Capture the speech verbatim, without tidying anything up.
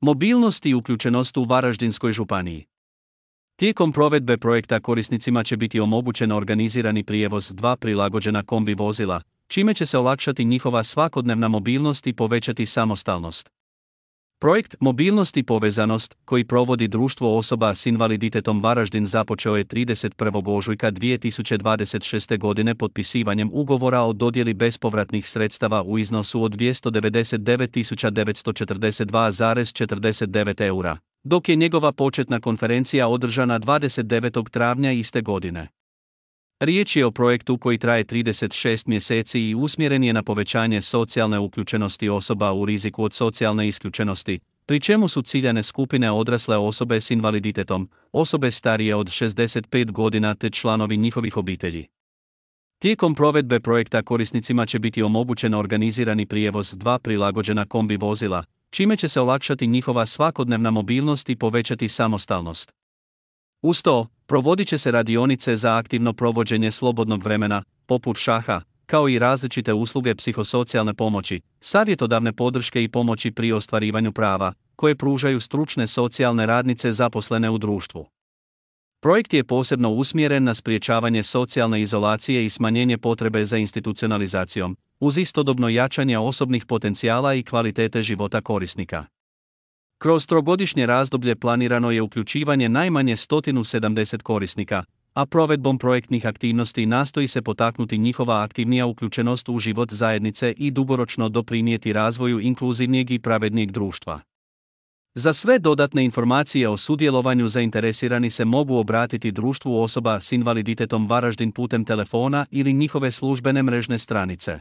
Mobilnost i uključenost u Varaždinskoj županiji. Tijekom provedbe projekta korisnicima će biti omogućen organizirani prijevoz dva prilagođena kombi vozila, čime će se olakšati njihova svakodnevna mobilnost i povećati samostalnost. Projekt Mobilnost i povezanost, koji provodi Društvo osoba s invaliditetom Varaždin, započeo je trideset prvog ožujka dvije tisuće dvadeset šeste. godine potpisivanjem ugovora o dodjeli bespovratnih sredstava u iznosu od dvjesto devedeset devet tisuća devetsto četrdeset dva zarez četrdeset devet eura, dok je njegova početna konferencija održana dvadeset devetog travnja iste godine. Riječ je o projektu koji traje trideset šest mjeseci i usmjeren je na povećanje socijalne uključenosti osoba u riziku od socijalne isključenosti, pri čemu su ciljane skupine odrasle osobe s invaliditetom, osobe starije od šezdeset pet godina te članovi njihovih obitelji. Tijekom provedbe projekta korisnicima će biti omogućen organizirani prijevoz dva prilagođena kombi vozila, čime će se olakšati njihova svakodnevna mobilnost i povećati samostalnost. Uz to, provodit će se radionice za aktivno provođenje slobodnog vremena, poput šaha, kao i različite usluge psihosocijalne pomoći, savjetodavne podrške i pomoći pri ostvarivanju prava, koje pružaju stručne socijalne radnice zaposlene u društvu. Projekt je posebno usmjeren na sprječavanje socijalne izolacije i smanjenje potrebe za institucionalizacijom, uz istodobno jačanje osobnih potencijala i kvalitete života korisnika. Kroz trogodišnje razdoblje planirano je uključivanje najmanje sto sedamdeset korisnika, a provedbom projektnih aktivnosti nastoji se potaknuti njihova aktivnija uključenost u život zajednice i dugoročno doprinijeti razvoju inkluzivnijeg i pravednijeg društva. Za sve dodatne informacije o sudjelovanju zainteresirani se mogu obratiti Društvu osoba s invaliditetom Varaždin putem telefona ili njihove službene mrežne stranice.